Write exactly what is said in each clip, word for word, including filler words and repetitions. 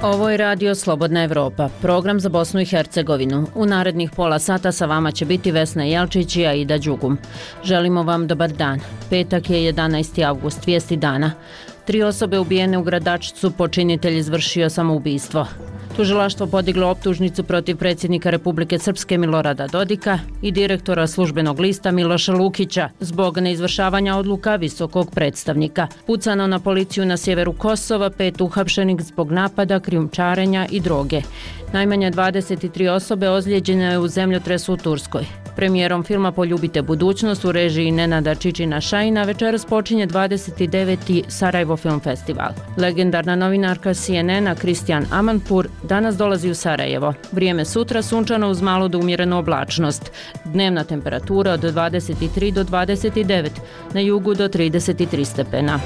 Ovo je Radio Slobodna Evropa, program za Bosnu i Hercegovinu. U narednih pola sata sa vama će biti Vesna Jelčić i Aida Đugum. Želimo vam dobar dan. Petak je jedanaesti avgust, vijesti dana. Tri osobe ubijene u Gradačcu, počinitelj izvršio samoubistvo. Tužilaštvo podiglo optužnicu protiv predsjednika Republike Srpske Milorada Dodika i direktora službenog lista Miloša Lukića zbog neizvršavanja odluka visokog predstavnika. Pucano na policiju na sjeveru Kosova, pet uhapšenih zbog napada, krijumčarenja i droge. Najmanje dvadeset tri osobe ozlijeđene je u zemljotresu u Turskoj. Premijerom filma Poljubite budućnost u režiji Nenada Čičina Šajina večeras počinje dvadeset deveti Sarajevo Film Festival. Legendarna novinarka C N N-a Kristijan Amanpour danas dolazi u Sarajevo. Vrijeme sutra sunčano uz malo do umjerenu oblačnost. Dnevna temperatura od dvadeset tri do dvadeset devet, na jugu do trideset tri stepena.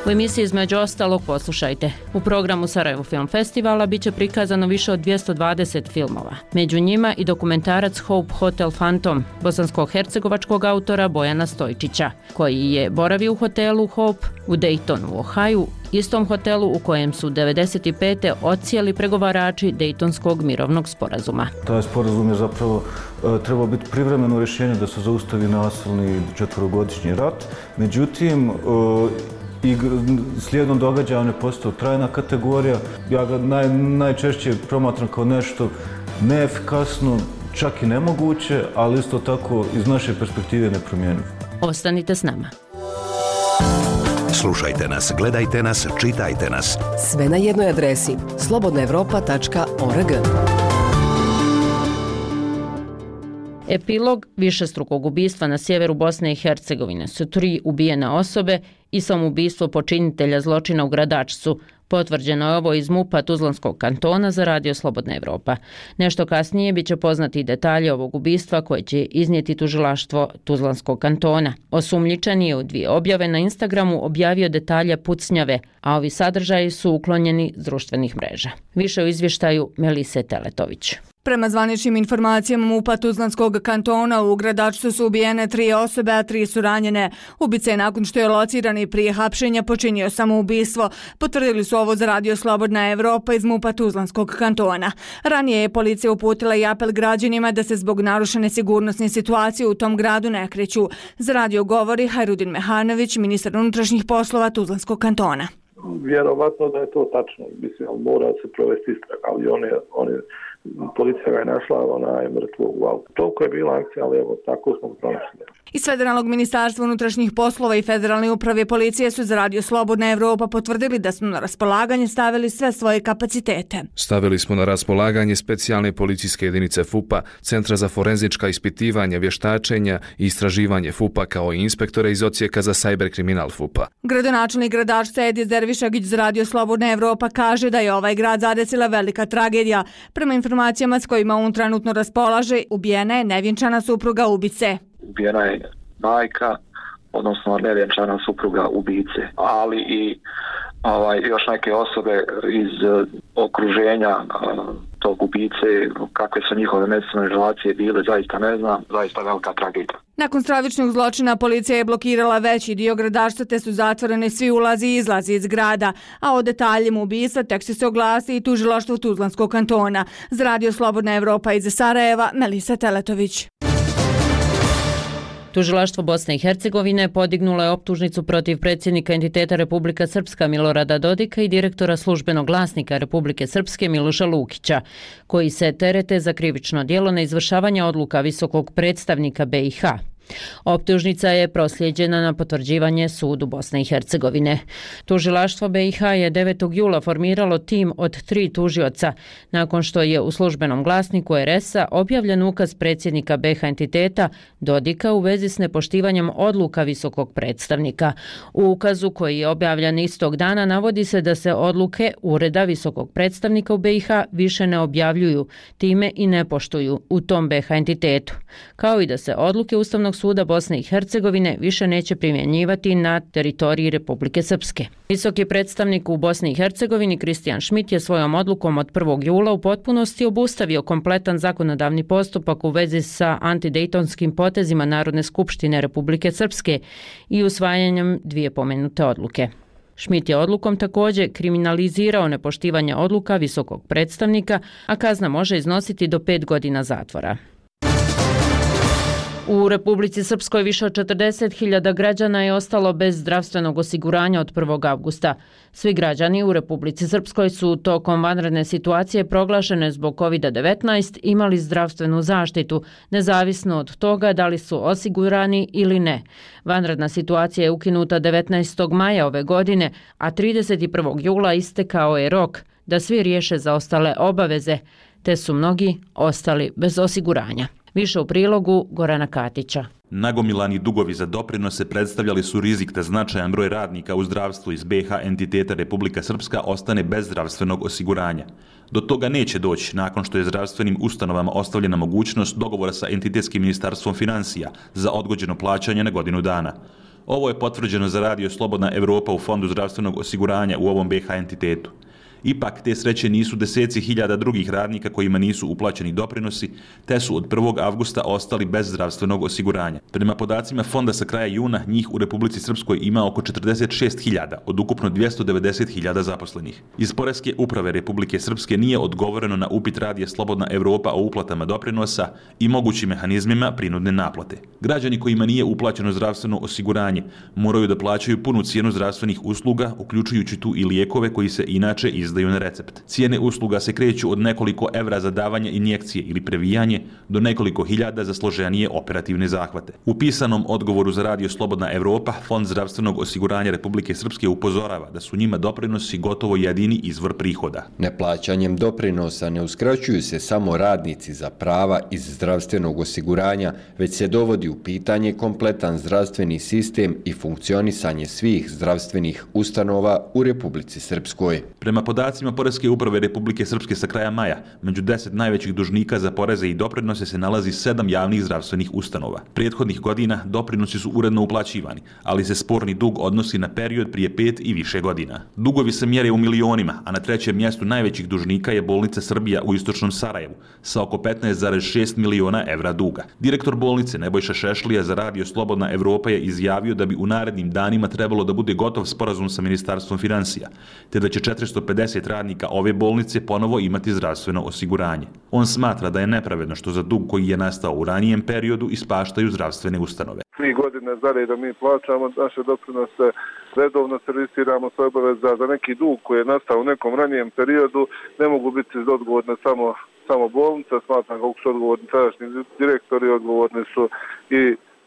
U emisiji između ostalog poslušajte. U programu Sarajevo Film Festivala biće prikazano više od dvjesto dvadeset filmova. Među njima i dokumentarac Hope Hotel Phantom, bosansko-hercegovačkog autora Bojana Stojčića, koji je boravio u hotelu Hope u Daytonu u Ohaju, istom hotelu u kojem su devedeset pete odsjeli pregovarači Dejtonskog mirovnog sporazuma. Taj sporazum je zapravo e, trebao biti privremeno rješenje da se zaustavi nasilni četverogodišnji rat. Međutim, e, i slijedom događaja on je postao trajna kategorija. Ja ga naj, najčešće promatram kao nešto neefikasno, čak i nemoguće, ali isto tako iz naše perspektive nepromjenjivo. Ostanite s nama. Slušajte nas, gledajte nas, čitajte nas. Sve na jednoj adresi slobodna evropa tačka org. Epilog višestrukog ubistva na sjeveru Bosne i Hercegovine su tri ubijene osobe i samoubistvo počinitelja zločina u Gradačcu. Potvrđeno je ovo iz MUP-a Tuzlanskog kantona za Radio Slobodna Evropa. Nešto kasnije bit će poznati detalje ovog ubistva koje će iznijeti tužilaštvo Tuzlanskog kantona. Osumnjičeni je u dvije objave na Instagramu objavio detalje pucnjave, a ovi sadržaji su uklonjeni s društvenih mreža. Više u izvještaju Melise Teletović. Prema zvaničnim informacijama MUP-a Tuzlanskog kantona u Gradačcu su ubijene tri osobe, a tri su ranjene. Ubica je nakon što je lociran i prije hapšenja počinio samoubistvo. Potvrdili su ovo za Radio Slobodna Evropa iz MUP-a Tuzlanskog kantona. Ranije je policija uputila i apel građanima da se zbog narušene sigurnosne situacije u tom gradu ne kreću. Za radio govori Hajrudin Mehanović, ministar unutrašnjih poslova Tuzlanskog kantona. Vjerovatno da je to tačno, mislim, mora se provesti istraga, ali on je, on je policija ga je našla, ona je mrtvo u autu. Toliko je bila akcija, ali evo, tako smo pronašli. Iz Federalnog ministarstva unutrašnjih poslova i Federalne uprave policije su za Radio Slobodna Evropa potvrdili da smo na raspolaganje stavili sve svoje kapacitete. Stavili smo na raspolaganje specijalne policijske jedinice F U P-a, Centra za forenzička ispitivanja, vještačenja i istraživanje F U P-a kao i inspektore iz odsjeka za sajber kriminal F U P-a. Gradonačelnik Gradačca Edis Dervišagić za Radio Slobodna Evropa kaže da je ovaj grad zadesila velika tragedija. Prema informacijama s kojima on trenutno raspolaže, ubijena je nevjenčana supruga ubice. Ubijena je majka, odnosno nevjenčana supruga ubice, ali i ovaj, još neke osobe iz uh, okruženja uh, tog ubice, kakve su njihove međusobne relacije bile, zaista ne znam, zaista velika tragedija. Nakon stravičnog zločina policija je blokirala veći dio Gradačca te su zatvoreni svi ulazi i izlazi iz grada, a o detaljima ubistva tek će se oglasi i tužilaštvo Tuzlanskog kantona. Za Radio Slobodna Evropa iz Sarajeva, Melisa Teletović. Tužilaštvo Bosne i Hercegovine podignulo je optužnicu protiv predsjednika entiteta Republika Srpska Milorada Dodika i direktora službenog glasnika Republike Srpske Miloša Lukića, koji se terete za krivično djelo neizvršavanja odluka visokog predstavnika B i H. Optužnica je proslijeđena na potvrđivanje sudu Bosne i Hercegovine. Tužilaštvo B i H je devetog jula formiralo tim od tri tužioca nakon što je u službenom glasniku R S-a objavljen ukaz predsjednika B i H entiteta Dodika u vezi s nepoštivanjem odluka visokog predstavnika. U ukazu koji je objavljen istog dana navodi se da se odluke Ureda visokog predstavnika u B i H više ne objavljuju, time i ne poštuju u tom B i H entitetu, kao i da se odluke Ustavnog Ustavnog suda Bosne i Hercegovine više neće primjenjivati na teritoriji Republike Srpske. Visoki predstavnik u Bosni i Hercegovini Kristijan Šmit je svojom odlukom od prvog jula u potpunosti obustavio kompletan zakonodavni postupak u vezi sa antidejtonskim potezima Narodne skupštine Republike Srpske i usvajanjem dvije pomenute odluke. Šmit je odlukom također kriminalizirao nepoštivanje odluka visokog predstavnika, a kazna može iznositi do pet godina zatvora. U Republici Srpskoj više od četrdeset hiljada građana je ostalo bez zdravstvenog osiguranja od prvog avgusta. Svi građani u Republici Srpskoj su tokom vanredne situacije proglašene zbog kovid devetnaest imali zdravstvenu zaštitu, nezavisno od toga da li su osigurani ili ne. Vanredna situacija je ukinuta devetnaestog maja ove godine, a trideset prvog jula istekao je rok da svi riješe zaostale obaveze, te su mnogi ostali bez osiguranja. Više u prilogu Gorana Katića. Nagomilani dugovi za doprinose predstavljali su rizik da značajan broj radnika u zdravstvu iz B H entiteta Republika Srpska ostane bez zdravstvenog osiguranja. Do toga neće doći nakon što je zdravstvenim ustanovama ostavljena mogućnost dogovora sa entitetskim ministarstvom financija za odgođeno plaćanje na godinu dana. Ovo je potvrđeno za radio Slobodna Evropa u Fondu zdravstvenog osiguranja u ovom B H entitetu. Ipak, te sreće nisu deseci hiljada drugih radnika kojima nisu uplaćeni doprinosi, te su od prvog avgusta ostali bez zdravstvenog osiguranja. Prema podacima fonda sa kraja juna, njih u Republici Srpskoj ima oko četrdeset šest hiljada od ukupno dvjesto devedeset hiljada zaposlenih. Iz Poreske uprave Republike Srpske nije odgovoreno na upit radija Slobodna Evropa o uplatama doprinosa i mogućim mehanizmima prinudne naplate. Građani kojima nije uplaćeno zdravstveno osiguranje moraju da plaćaju punu cijenu zdravstvenih usluga, uključujući tu i lijekove koji se inače izdaju na recept. Cijene usluga se kreću od nekoliko evra za davanje injekcije ili previjanje do nekoliko hiljada za složenije operativne zahvate. U pisanom odgovoru za radio Slobodna Evropa, Fond zdravstvenog osiguranja Republike Srpske upozorava da su njima doprinosi gotovo jedini izvor prihoda. Neplaćanjem doprinosa ne uskraćuju se samo radnici za prava iz zdravstvenog osiguranja, već se dovodi u pitanje kompletan zdravstveni sistem i funkcionisanje svih zdravstvenih ustanova u Republici Srpskoj. Prema podacima Poreske uprave Republike Srpske sa kraja maja, među deset najvećih dužnika za poreze i doprinose se nalazi sedam javnih zdravstvenih ustanova. Prethodnih godina doprinosi su uredno uplaćivani, ali se sporni dug odnosi na period prije pet i više godina. Dugovi se mjere u milionima, a na trećem mjestu najvećih dužnika je bolnica Srbija u istočnom Sarajevu sa oko petnaest zarez šest miliona evra duga. Direktor bolnice Nebojša Šešlija za radio Slobodna Evropa je izjavio da bi u narednim danima trebalo da bude gotov sporazum sa Ministarstvom financija, te da će četiristo pedeset radnika ove bolnice ponovo imati zdravstveno osiguranje. On smatra da je nepravedno što za dug koji je nastao u ranijem periodu ispaštaju zdravstvene ustanove. Tri godine za redom mi plaćamo naše doprinose, redovno servisiramo svoje obaveze za neki dug koji je nastao u nekom ranijem periodu, ne mogu biti odgovorne samo, samo bolnica, smatram kako su odgovorni tadašnji direktori, odgovorni su i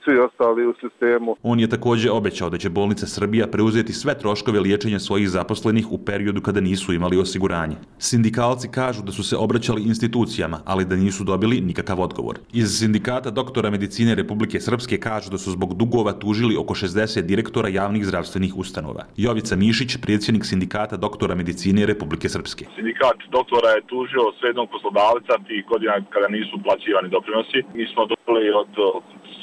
svi ostali u sistemu. On je također obećao da će bolnica Srbija preuzeti sve troškove liječenja svojih zaposlenih u periodu kada nisu imali osiguranje. Sindikalci kažu da su se obraćali institucijama, ali da nisu dobili nikakav odgovor. Iz Sindikata doktora medicine Republike Srpske kažu da su zbog dugova tužili oko šezdeset direktora javnih zdravstvenih ustanova. Jovica Mišić, predsjednik Sindikata doktora medicine Republike Srpske. Sindikat doktora je tužio srednog poslodavca tih godina kada nisu plaćivani doprinosi. Mi smo dobili od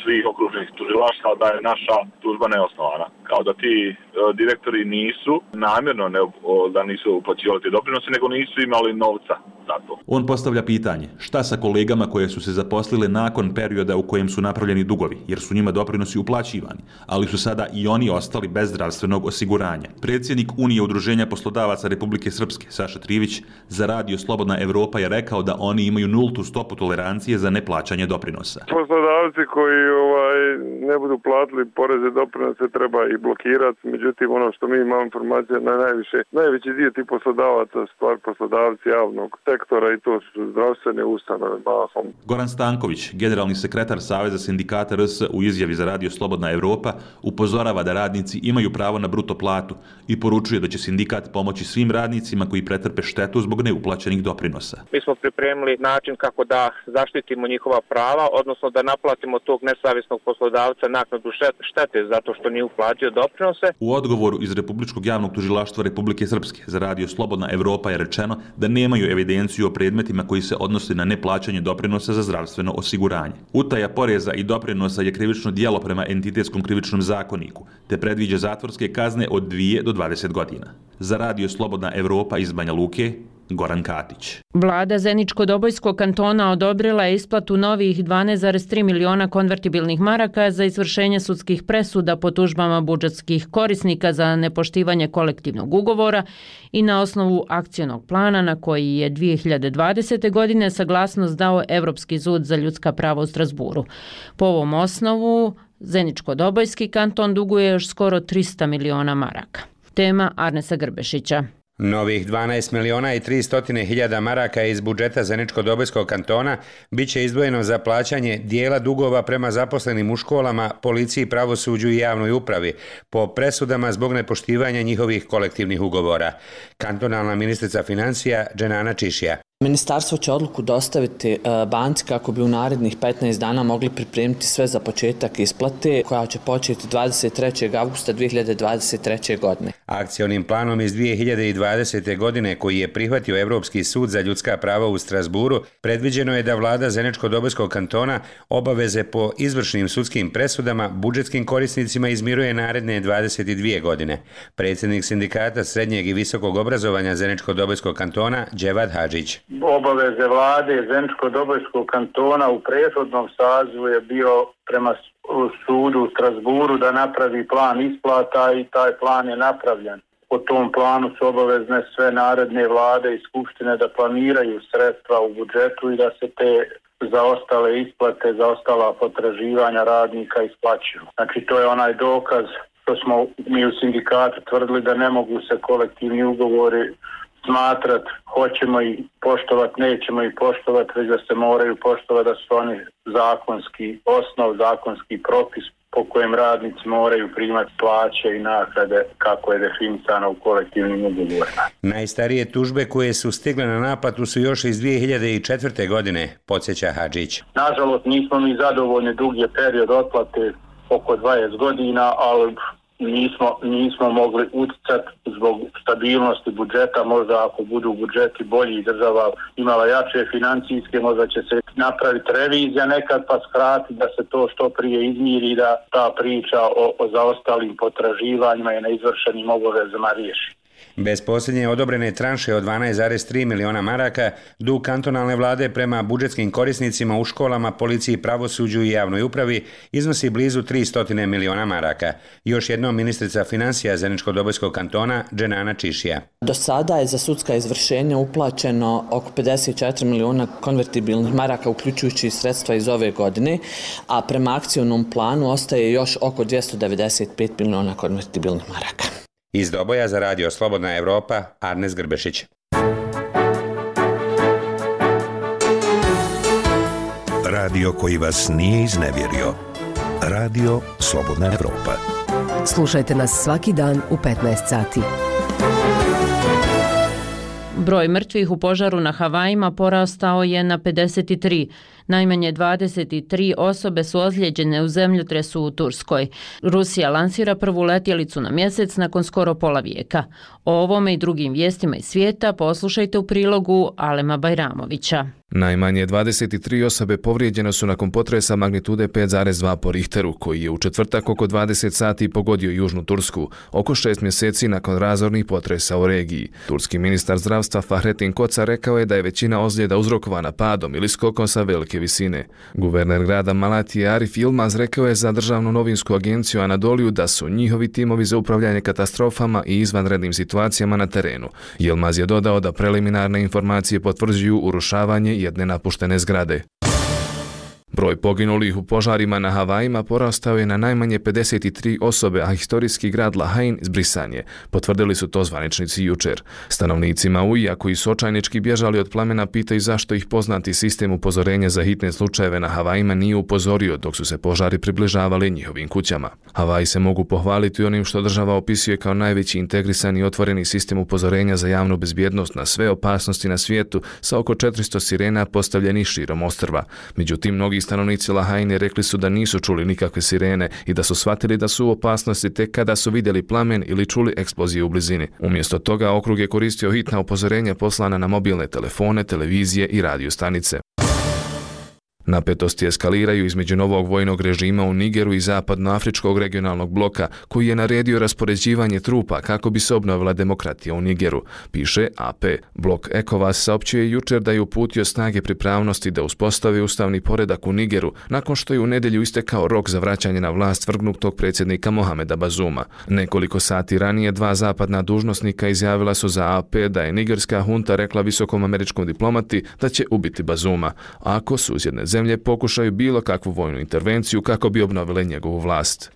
svih okružnih tužilaštva da je naša tužba neosnovana. Kao da ti e, direktori nisu namjerno ne, o, da nisu uplaćivali te doprinose, nego nisu imali novca za to. On postavlja pitanje, šta sa kolegama koje su se zaposlile nakon perioda u kojem su napravljeni dugovi, jer su njima doprinosi uplaćivani, ali su sada i oni ostali bez zdravstvenog osiguranja. Predsjednik Unije udruženja poslodavaca Republike Srpske, Saša Trivić, za radio Slobodna Evropa je rekao da oni imaju nultu stopu tolerancije za neplaćanje doprinosa. Poslodavci koji ovaj, ne budu platili poreze doprinose treba i blokirati, međutim ono što mi imamo informacije na najviše, najveći dio tih poslodavaca stvar poslodavci javnog sektora i to su zdravstvene ustanove mahom. Goran Stanković, generalni sekretar Saveza sindikata R S u izjavi za radio Slobodna Evropa, upozorava da radnici imaju pravo na bruto platu i poručuje da će sindikat pomoći svim radnicima koji pretrpe štetu zbog neuplaćenih doprinosa. Mi smo pripremili način kako da zaštitimo njihova prava, odnosno da naplatimo tog nesavjesnog poslodavca naknadu štete zato što nije uplatio doprinose. U odgovoru iz Republičkog javnog tužilaštva Republike Srpske za radio Slobodna Evropa je rečeno da nemaju evidenciju o predmetima koji se odnose na neplaćanje doprinosa za zdravstveno osiguranje. Utaja poreza i doprinosa je krivično djelo prema entitetskom krivičnom zakoniku, te predviđa zatvorske kazne od dvije do dvadeset godina. Za radio Slobodna Evropa iz Banja Luke, Goran Katić. Vlada Zeničko-Dobojskog kantona odobrila je isplatu novih dvanaest zarez tri miliona konvertibilnih maraka za izvršenje sudskih presuda po tužbama budžetskih korisnika za nepoštivanje kolektivnog ugovora i na osnovu akcionog plana na koji je dvije hiljade dvadesete. godine saglasnost dao Evropski sud za ljudska prava u Strasburu. Po ovom osnovu Zeničko-Dobojski kanton duguje još skoro trista miliona maraka. Tema Arnesa Grbešića. Novih dvanaest miliona i tristo hiljada maraka iz budžeta Zeničko-Dobojskog kantona bit će izdvojeno za plaćanje dijela dugova prema zaposlenim u školama, policiji, pravosuđu i javnoj upravi po presudama zbog nepoštivanja njihovih kolektivnih ugovora. Kantonalna ministrica financija Dženana Čišija. Ministarstvo će odluku dostaviti banci kako bi u narednih petnaest dana mogli pripremiti sve za početak isplate koja će početi dvadeset trećeg avgusta dvije hiljade dvadeset treće. godine. Akcionim planom iz dvije hiljade dvadesete. godine koji je prihvatio Evropski sud za ljudska prava u Strasburu, predviđeno je da vlada Zeničko-Dobojskog kantona obaveze po izvršnim sudskim presudama budžetskim korisnicima izmiruje naredne dvadeset dvije godine. Predsjednik sindikata srednjeg i visokog obrazovanja Zeničko-Dobojskog kantona Dževad Hadžić. Obaveze vlade Zeničko-Dobojskog kantona u prethodnom sazivu je bio prema sudu u Strasburu da napravi plan isplata i taj plan je napravljen. Po tom planu su obavezne sve naredne vlade i skupštine da planiraju sredstva u budžetu i da se te zaostale isplate, zaostala potraživanja radnika isplaćuju. Znači to je onaj dokaz što smo mi u sindikatu tvrdili da ne mogu se kolektivni ugovori smatrati, hoćemo i poštovati, nećemo i poštovati, već da se moraju poštovati, da su oni zakonski osnov, zakonski propis po kojem radnici moraju primati plaće i naknade kako je definisano u kolektivnim ugovorima. Najstarije tužbe koje su stigle na naplatu su još iz dvije hiljade četvrte. godine, podsjeća Hadžić. Nažalost nismo mi zadovoljni, dug je period otplate oko dvadeset godina, ali nismo, nismo mogli utjecati zbog stabilnosti budžeta. Možda ako budu budžeti bolji i država imala jače financijske, možda će se napraviti revizija nekad pa skratiti da se to što prije izmiri i da ta priča o, o zaostalim potraživanjima i neizvršenim obavezama riješi. Bez posljednje odobrene tranše od dvanaest zarez tri miliona maraka, dug kantonalne vlade prema budžetskim korisnicima u školama, policiji, pravosuđu i javnoj upravi iznosi blizu tristo miliona maraka. Još jednom ministrica financija Zeničko-Dobojskog kantona Dženana Čišija. Do sada je za sudska izvršenja uplaćeno oko pedeset četiri miliona konvertibilnih maraka, uključujući sredstva iz ove godine, a prema akcionom planu ostaje još oko dvjesto devedeset pet miliona konvertibilnih maraka. Iz Doboja za radio Slobodna Evropa, Arnes Grbešić. Radio koji vas nije iznevjerio. Radio Slobodna Evropa. Slušajte nas svaki dan u petnaest sati. Broj mrtvih u požaru na Havajima porastao je na pedeset tri. Najmanje dvadeset tri osobe su ozlijeđene u zemljotresu u Turskoj. Rusija lansira prvu letjelicu na mjesec nakon skoro pola vijeka. O ovome i drugim vijestima iz svijeta poslušajte u prilogu Alema Bajramovića. Najmanje dvadeset tri osobe povrijeđene su nakon potresa magnitude pet zarez dva po Richteru, koji je u četvrtak oko dvadeset sati pogodio južnu Tursku, oko šest mjeseci nakon razornih potresa u regiji. Turski ministar zdravstva Fahrettin Koca rekao je da je većina ozljeda uzrokovana padom ili skokom sa velike visine. Guverner grada Malatije Arif Yilmaz rekao je za državnu novinsku agenciju Anadoliju da su njihovi timovi za upravljanje katastrofama i izvanrednim situacijama na terenu. Yilmaz je dodao da preliminarne informacije potvrđuju urušavanje jedne napuštene zgrade. Broj poginulih u požarima na Havajima porastao je na najmanje pedeset tri osobe, a historijski grad Lahain zbrisan je. Potvrdili su to zvaničnici jučer. Stanovnici Mauija koji su očajnički bježali od plamena pitaju zašto ih poznati sistem upozorenja za hitne slučajeve na Havajima nije upozorio dok su se požari približavali njihovim kućama. Havaji se mogu pohvaliti onim što država opisuje kao najveći integrisani i otvoreni sistem upozorenja za javnu bezbjednost na sve opasnosti na svijetu sa oko četiristo sirena postavljenih širom ostrva. Međutim, mnogi stanovnici Lahajne rekli su da nisu čuli nikakve sirene i da su shvatili da su u opasnosti tek kada su vidjeli plamen ili čuli eksploziju u blizini. Umjesto toga okrug je koristio hitna upozorenja poslana na mobilne telefone, televizije i radio stanice. Napetosti eskaliraju između novog vojnog režima u Nigeru i zapadnoafričkog regionalnog bloka koji je naredio raspoređivanje trupa kako bi se obnovila demokratija u Nigeru, piše A P. Blok ECOWAS saopćio je jučer da je uputio snage pripravnosti da uspostavi ustavni poredak u Nigeru nakon što je u nedjelju istekao rok za vraćanje na vlast vrgnutog predsjednika Mohameda Bazuma. Nekoliko sati ranije dva zapadna dužnosnika izjavila su za A P da je nigerska hunta rekla visokom američkom diplomati da će ubiti Bazuma, ako susjedne zemlje pokušaju bilo kakvu vojnu intervenciju kako bi obnovile njegovu vlast.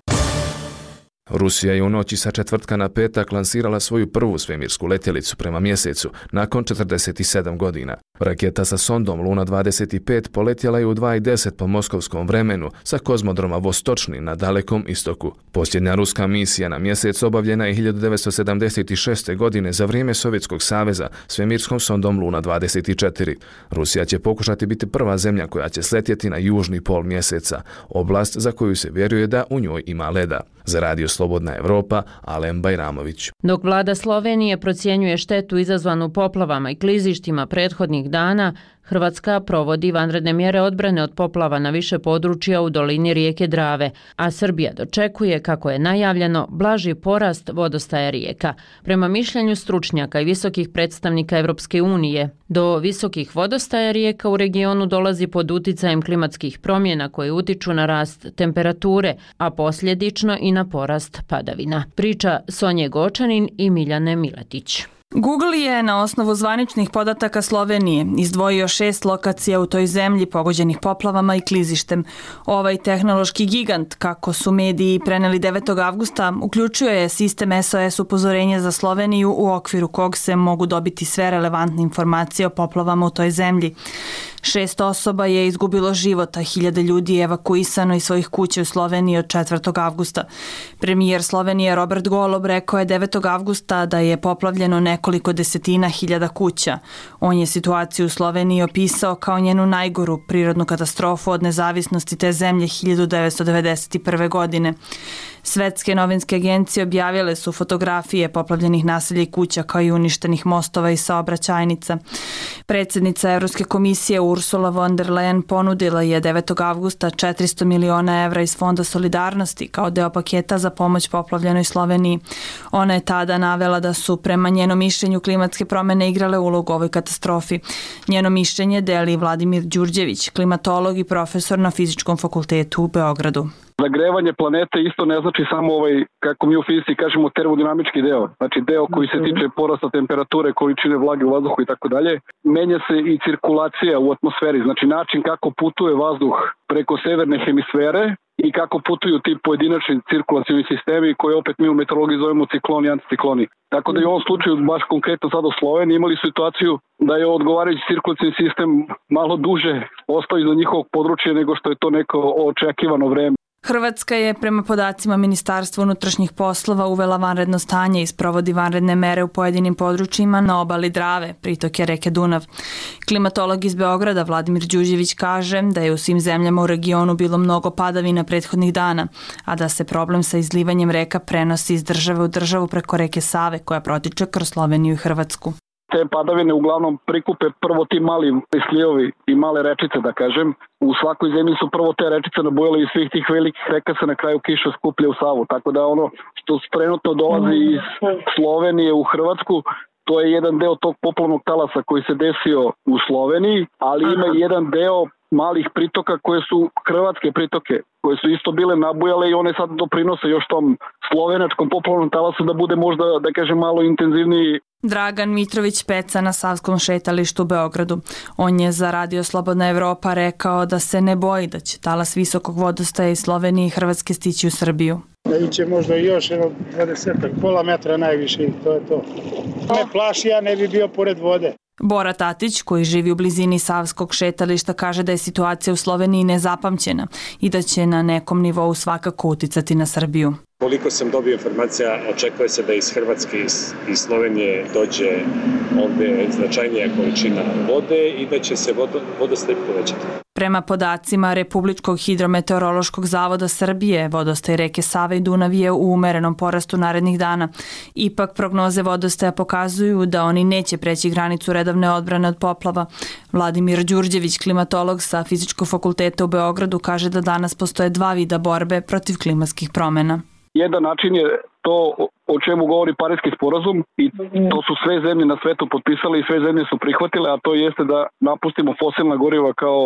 Rusija je u noći sa četvrtka na petak lansirala svoju prvu svemirsku letjelicu prema mjesecu nakon četrdeset sedam godina. Raketa sa sondom Luna dvadeset pet poletjela je u dva i deset po moskovskom vremenu sa kozmodroma Vostočni na Dalekom istoku. Posljednja ruska misija na mjesec obavljena je hiljadu devetsto sedamdeset šeste. godine za vrijeme Sovjetskog saveza svemirskom sondom Luna dvadeset četiri. Rusija će pokušati biti prva zemlja koja će sletjeti na južni pol mjeseca, oblast za koju se vjeruje da u njoj ima leda. Za Radio Slobodna Evropa, Alen Bajramović. Dok vlada Slovenije procjenjuje štetu izazvanu poplavama i klizištima prethodnih dana, Hrvatska provodi vanredne mjere odbrane od poplava na više područja u dolini rijeke Drave, a Srbija dočekuje, kako je najavljeno, blaži porast vodostaja rijeka. Prema mišljenju stručnjaka i visokih predstavnika Evropske unije, do visokih vodostaja rijeka u regionu dolazi pod uticajem klimatskih promjena koje utiču na rast temperature, a posljedično i na porast padavina. Priča Sonje Gočanin i Miljane Miletić. Google je na osnovu zvaničnih podataka Slovenije izdvojio šest lokacija u toj zemlji pogođenih poplavama i klizištem. Ovaj tehnološki gigant, kako su mediji preneli devetog avgusta, uključuje sistem S O S upozorenja za Sloveniju u okviru kog se mogu dobiti sve relevantne informacije o poplavama u toj zemlji. Šest osoba je izgubilo život, a hiljade ljudi je evakuisano iz svojih kuća u Sloveniji od četvrtog avgusta. Premijer Slovenije Robert Golob rekao je devetog avgusta da je poplavljeno nekoliko desetina hiljada kuća. On je situaciju u Sloveniji opisao kao njenu najgoru prirodnu katastrofu od nezavisnosti te zemlje hiljadu devetsto devedeset prve. godine. Svetske novinske agencije objavile su fotografije poplavljenih naselja i kuća kao i uništenih mostova i saobraćajnica. Predsjednica Evropske komisije Ursula von der Leyen ponudila je devetog avgusta četiristo miliona evra iz Fonda solidarnosti kao deo paketa za pomoć poplavljenoj Sloveniji. Ona je tada navela da su prema njenom mišljenju klimatske promjene igrale ulogu u ovoj katastrofi. Njeno mišljenje deli Vladimir Đurđević, klimatolog i profesor na Fizičkom fakultetu u Beogradu. Zagrevanje planete isto ne znači samo ovaj, kako mi u fizici kažemo, termodinamički deo. Znači deo koji se tiče porasta temperature, količine vlage u vazduhu i tako dalje. Menja se i cirkulacija u atmosferi, znači način kako putuje vazduh preko severne hemisfere i kako putuju ti pojedinačni cirkulacioni sistemi koje opet mi u meteorologiji zovemo cikloni i anticikloni. Tako da i u ovom slučaju, baš konkretno sad u Sloveniji, imali situaciju da je odgovarajući cirkulacioni sistem malo duže ostao iza njihovog područja nego što je to neko očekivano vreme. Hrvatska je prema podacima Ministarstva unutrašnjih poslova uvela vanredno stanje i sprovodi vanredne mere u pojedinim područjima na obali Drave, pritoke reke Dunav. Klimatolog iz Beograda Vladimir Đurđević kaže da je u svim zemljama u regionu bilo mnogo padavina prethodnih dana, a da se problem sa izlivanjem reka prenosi iz države u državu preko reke Save koja protiče kroz Sloveniju i Hrvatsku. Te padavine uglavnom prikupe prvo ti mali slijevovi i male rečice, da kažem. U svakoj zemlji su prvo te rečice nabujale i svih tih velikih reka se na kraju kiša skuplja u Savu. Tako da ono što trenutno dolazi iz Slovenije u Hrvatsku, to je jedan deo tog poplavnog talasa koji se desio u Sloveniji, ali ima i jedan deo malih pritoka koje su hrvatske pritoke, koje su isto bile nabujale i one sad doprinose još tom slovenačkom poplavnom talasu da bude možda, da kažem, malo intenzivniji. Dragan Mitrović Peca na Savskom šetalištu u Beogradu. On je za Radio Slobodna Evropa rekao da se ne boji da će talas visokog vodostaja iz Slovenije i Hrvatske stići u Srbiju. Iće možda još jedno dvadeset pola metra najviše i to je to. Me plaši, ja ne bi bio pored vode. Bora Tatić, koji živi u blizini Savskog šetališta, kaže da je situacija u Sloveniji nezapamćena i da će na nekom nivou svakako uticati na Srbiju. Koliko sam dobio informacija, očekuje se da iz Hrvatske i Slovenije dođe ovdje značajnija količina vode i da će se vodostaj povećati. Prema podacima Republičkog hidrometeorološkog zavoda Srbije, vodostaj reke Save i Dunav je u umerenom porastu narednih dana. Ipak prognoze vodostaja pokazuju da oni neće preći granicu redovne odbrane od poplava. Vladimir Đurđević, klimatolog sa Fizičkog fakulteta u Beogradu, kaže da danas postoje dva vida borbe protiv klimatskih promjena. Jedan način je to o čemu govori Pariski sporazum i to su sve zemlje na svetu potpisale i sve zemlje su prihvatile, a to jeste da napustimo fosilna goriva kao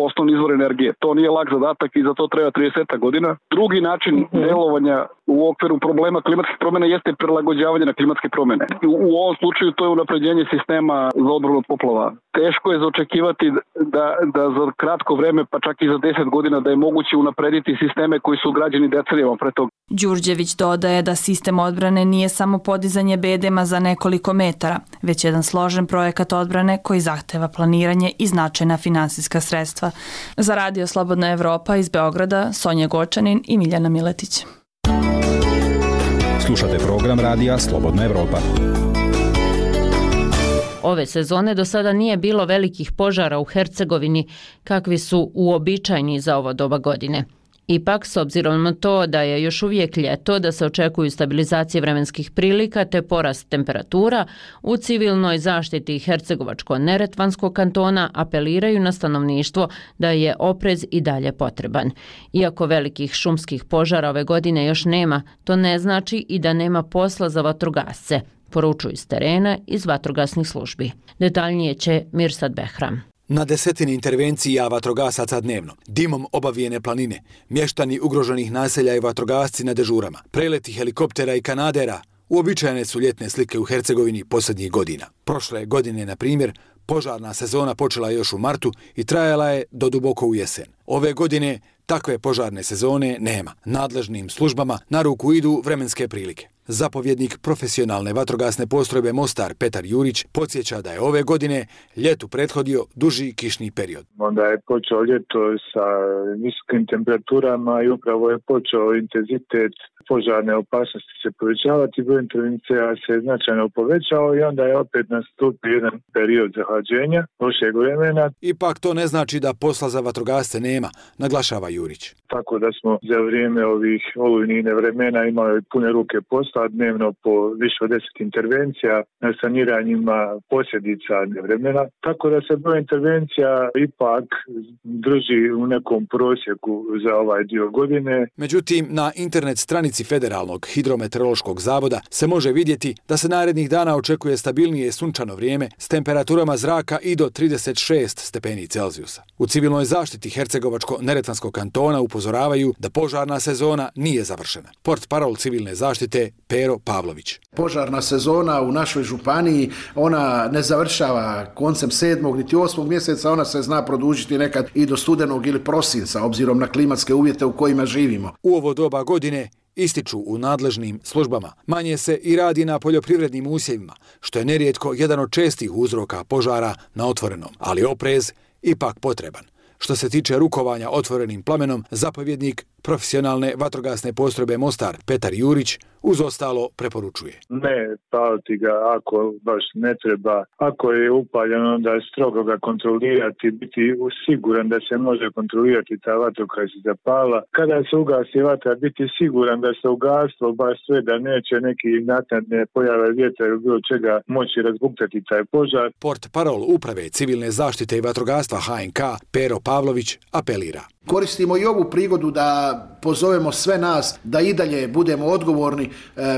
osnovni izvor energije. To nije lak zadatak i za to treba trideset godina. Drugi način delovanja u okviru problema klimatskih promjena jeste prilagođavanje na klimatske promjene. U ovom slučaju to je unapređenje sistema za odbranu od poplava. Teško je zaočekivati da, da za kratko vreme, pa čak i za deset godina, da je moguće unaprediti sisteme koji su građeni decenijama pre toga. Đurđević dodaje da sistem odbrane nije samo podizanje bedema za nekoliko metara, već jedan složen projekat odbrane koji zahteva planiranje i značajna finansijska sredstva. Za Radio Slobodna Evropa iz Beograda, Sonja Gočanin i Miljana Miletić. Slušate program Radija Slobodna Evropa. Ove sezone do sada nije bilo velikih požara u Hercegovini kakvi su uobičajeni za ovo doba godine. Ipak, s obzirom na to da je još uvijek ljeto, da se očekuju stabilizacije vremenskih prilika te porast temperatura, u civilnoj zaštiti Hercegovačko-Neretvanskog kantona apeliraju na stanovništvo da je oprez i dalje potreban. Iako velikih šumskih požara ove godine još nema, to ne znači i da nema posla za vatrogasce, poručuju iz terena iz vatrogasnih službi. Detaljnije će Mirsad Behram. Na desetini intervencija vatrogasaca dnevno, dimom obavijene planine, mještani ugroženih naselja i vatrogasci na dežurama, preleti helikoptera i kanadera, uobičajene su ljetne slike u Hercegovini posljednjih godina. Prošle godine, na primjer, požarna sezona počela još u martu i trajala je do duboko u jesen. Ove godine takve požarne sezone nema. Nadležnim službama na ruku idu vremenske prilike. Zapovjednik profesionalne vatrogasne postrojbe Mostar Petar Jurić podsjeća da je ove godine ljetu prethodio duži kišni period. Onda je počeo ljeto sa visokim temperaturama i upravo je počeo intenzitet požarne opasnosti se povećavati, broj intervencija se značajno povećao i onda je opet nastupio jedan period zahlađenja lošeg vremena. Ipak to ne znači da posla za vatrogasce nema, naglašava Jurić. Tako da smo za vrijeme ovih olujnih vremena imali pune ruke posla, dnevno po više od deset intervencija na saniranjima posljedica nevremena. Tako da se broj intervencija ipak drži u nekom prosjeku za ovaj dio godine. Međutim, na internet stranici Federalnog hidrometeorološkog zavoda se može vidjeti da se narednih dana očekuje stabilnije sunčano vrijeme s temperaturama zraka i do trideset šest stepeni Celzijusa. U civilnoj zaštiti Hercegovačko-Neretvanskog kantona upozoravaju da požarna sezona nije završena. Portparol civilne zaštite Pero Pavlović. Požarna sezona u našoj županiji, ona ne završava koncem sedmog niti osmog mjeseca, ona se zna produžiti nekad i do studenog ili prosinca, obzirom na klimatske uvjete u kojima živimo. U ovo doba godine ističu u nadležnim službama, manje se i radi na poljoprivrednim usjevima, što je nerijetko jedan od čestih uzroka požara na otvorenom, ali oprez ipak potreban. Što se tiče rukovanja otvorenim plamenom, zapovjednik profesionalne vatrogasne postrojbe Mostar Petar Jurić uz ostalo preporučuje. Ne paliti ga ako baš ne treba. Ako je upaljeno, onda strogo ga kontrolirati, biti siguran da se može kontrolirati ta vatra koja se zapala. Kada se ugasi vatra, biti siguran da se ugaslo baš sve, da neće neki naknadne pojave vjetra ili bilo čega moći razbuktati taj požar. Portparol uprave civilne zaštite i vatrogastva H N K Pero Pavlović apelira. Koristimo i ovu prigodu da pozovemo sve nas da i dalje budemo odgovorni e,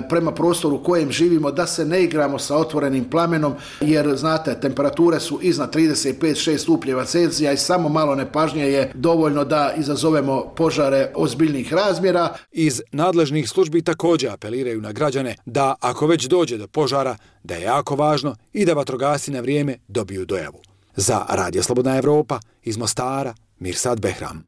prema prostoru u kojem živimo, da se ne igramo sa otvorenim plamenom, jer znate, temperature su iznad trideset pet šest stupnjeva Celzija i samo malo nepažnje je dovoljno da izazovemo požare ozbiljnih razmjera. Iz nadležnih službi također apeliraju na građane da ako već dođe do požara, da je jako važno i da vatrogasci na vrijeme dobiju dojavu. Za Radio Slobodna Evropa iz Mostara, Mirsad Behram.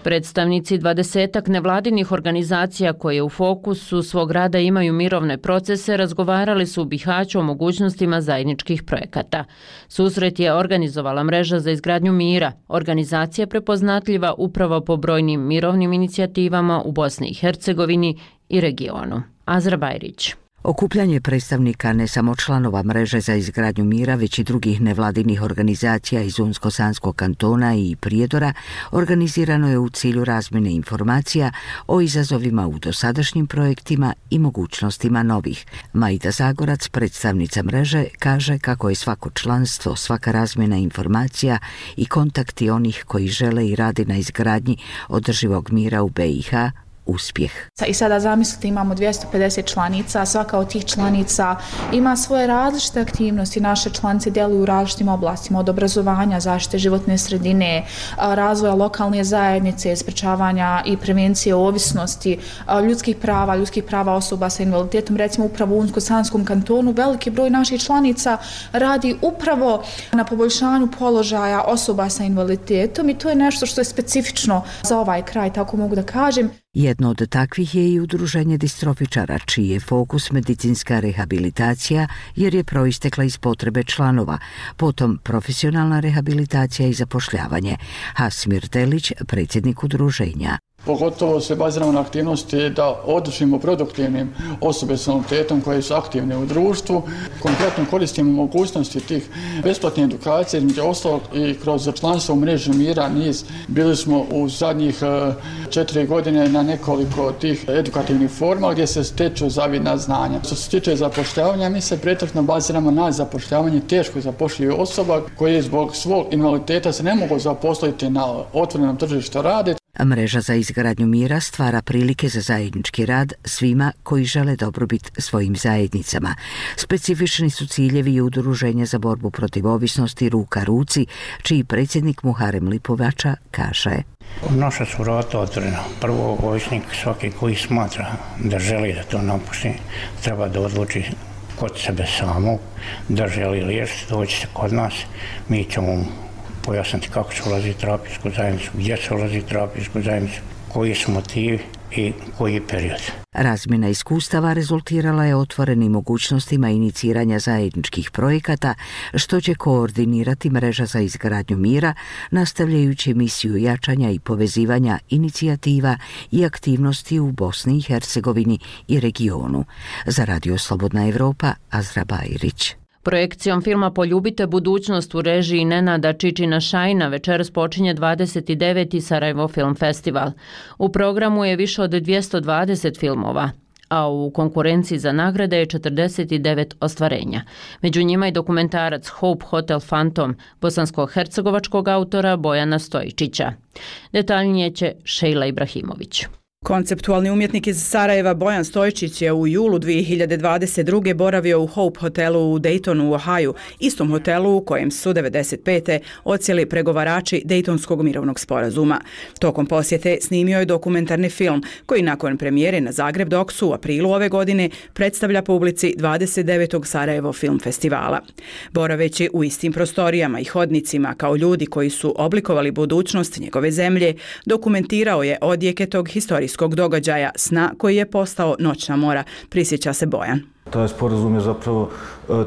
Predstavnici dvadesetak nevladinih organizacija koje u fokusu svog rada imaju mirovne procese razgovarali su u Bihaću o mogućnostima zajedničkih projekata. Susret je organizovala mreža za izgradnju mira, organizacija prepoznatljiva upravo po brojnim mirovnim inicijativama u Bosni i Hercegovini i regionu. Azra Bajrić. Okupljanje predstavnika ne samo članova mreže za izgradnju mira, već i drugih nevladinih organizacija iz Unsko-Sanskog kantona i Prijedora organizirano je u cilju razmjene informacija o izazovima u dosadašnjim projektima i mogućnostima novih. Majda Zagorac, predstavnica mreže, kaže kako je svako članstvo, svaka razmjena informacija i kontakti onih koji žele i radi na izgradnji održivog mira u B i H uspjeh. I sada zamislite, imamo dvjesto pedeset članica, svaka od tih članica ima svoje različite aktivnosti. Naše članice djeluju u različitim oblastima, od obrazovanja, zaštite životne sredine, razvoja lokalne zajednice, sprečavanja i prevencije ovisnosti, ljudskih prava, ljudskih prava osoba sa invaliditetom. Recimo upravo u Unsko-Sanskom kantonu veliki broj naših članica radi upravo na poboljšanju položaja osoba sa invaliditetom i to je nešto što je specifično za ovaj kraj, tako mogu da kažem. Jedno od takvih je i udruženje distrofičara, čiji je fokus medicinska rehabilitacija jer je proistekla iz potrebe članova, potom profesionalna rehabilitacija i zapošljavanje. Hasmir Delić, predsjednik udruženja. Pogotovo se baziramo na aktivnosti da održimo produktivnim osobe s invaliditetom koje su aktivne u društvu. Konkretno koristimo mogućnosti tih besplatne edukacije, između ostalog i kroz članstvo u mreži Mira niz. Bili smo u zadnjih četiri godine na nekoliko tih edukativnih forma gdje se steču zavidna znanja. Što se tiče zapošljavanja, mi se pretežno baziramo na zapošljavanje teško zapošljivih osoba koje zbog svog invaliditeta se ne mogu zaposliti na otvorenom tržištu rada. Mreža za izgradnju mira stvara prilike za zajednički rad svima koji žele dobrobit svojim zajednicama. Specifični su ciljevi i udruženja za borbu protiv ovisnosti Ruka ruci, čiji predsjednik Muharem Lipovača kaže: Naša su vrata otvorena. Prvo, ovisnik svaki koji smatra da želi da to napusti, treba da odluči kod sebe samog, da želi liječiti, doći se kod nas, mi ćemo mu pojasniti kako se ulazi u terapijsku zajednicu, gdje se ulazi u terapijsku zajednicu, koji su motivi i koji period. Razmjena iskustava rezultirala je otvorenim mogućnostima iniciranja zajedničkih projekata, što će koordinirati mreža za izgradnju mira, nastavljajući misiju jačanja i povezivanja inicijativa i aktivnosti u Bosni i Hercegovini i regionu. Za Radio Slobodna Evropa, Azra Bajrić. Projekcijom filma Poljubite budućnost u režiji Nenada Čičina Šajna večeras počinje dvadeset deveti Sarajevo Film Festival. U programu je više od dvjesto dvadeset filmova, a u konkurenciji za nagrade je četrdeset devet ostvarenja. Među njima je dokumentarac Hope Hotel Phantom bosansko-hercegovačkog autora Bojana Stojičića. Detaljnije će Šejla Ibrahimović. Konceptualni umjetnik iz Sarajeva Bojan Stojčić je u julu dvije hiljade dvadeset druge boravio u Hope hotelu u Daytonu u Ohaju, istom hotelu u kojem su devedeset pete odsjeli pregovarači Dejtonskog mirovnog sporazuma. Tokom posjete snimio je dokumentarni film koji nakon premijere na Zagreb Doksu u aprilu ove godine predstavlja publici dvadeset devetog Sarajevo Film Festivala. Boraveći u istim prostorijama i hodnicima kao ljudi koji su oblikovali budućnost njegove zemlje, dokumentirao je odjeke tog historijskog događaja, sna koji je postao noćna mora, prisjeća se Bojan. Taj sporazum je zapravo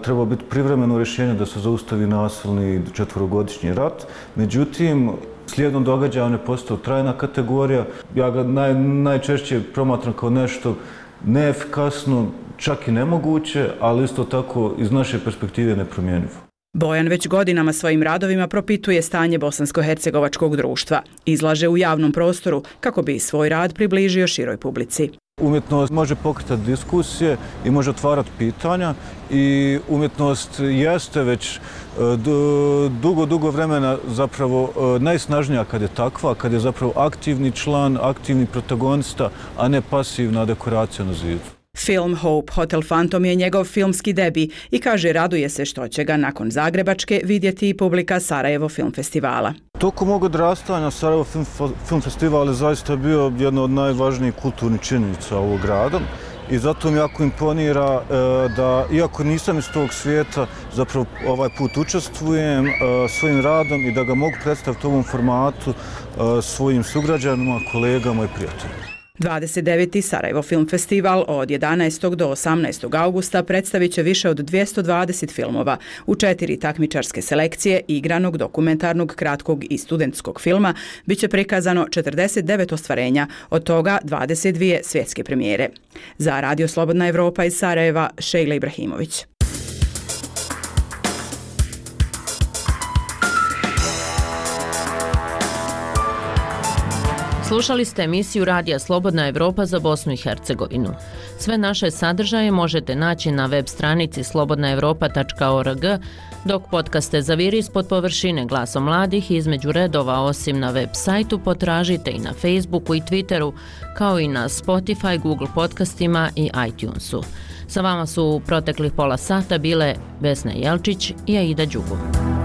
trebao biti privremeno rješenje da se zaustavi nasilni četverogodišnji rat. Međutim, slijedom događaja on je postao trajna kategorija. Ja ga naj, najčešće promatram kao nešto neefikasno, čak i nemoguće, ali isto tako iz naše perspektive nepromjenjivo. Bojan već godinama svojim radovima propituje stanje bosansko-hercegovačkog društva. Izlaže u javnom prostoru kako bi svoj rad približio široj publici. Umjetnost može pokretati diskusije i može otvarati pitanja i umjetnost jeste već dugo, dugo vremena zapravo najsnažnija kad je takva, kad je zapravo aktivni član, aktivni protagonista, a ne pasivna dekoracija na zidu. Film Hope Hotel Phantom je njegov filmski debi i kaže raduje se što će ga nakon Zagrebačke vidjeti i publika Sarajevo Film Festivala. Tokom mog odrastanja Sarajevo Film, Film Festival je zaista bio jedna od najvažnijih kulturnih činjenica ovog grada i zato mi jako imponira da, iako nisam iz tog svijeta, zapravo ovaj put učestvujem svojim radom i da ga mogu predstaviti u ovom formatu svojim sugrađanima, kolegama i prijateljima. dvadeset deveti Sarajevo Film Festival od jedanaestog do osamnaestog augusta predstavit će više od dvjesto dvadeset filmova u četiri takmičarske selekcije igranog, dokumentarnog, kratkog i studentskog filma. Biće prikazano četrdeset devet ostvarenja, od toga dvadeset dvije svjetske premijere. Za Radio Slobodna Evropa iz Sarajeva, Šejla Ibrahimović. Slušali ste emisiju Radija Slobodna Evropa za Bosnu i Hercegovinu. Sve naše sadržaje možete naći na web stranici slobodna evropa tačka org, dok podcaste Zaviri ispod površine Glasom mladih između redova osim na web sajtu potražite i na Facebooku i Twitteru, kao i na Spotify, Google podcastima i iTunesu. Sa vama su u proteklih pola sata bile Vesna Jelčić i Aida Đugum.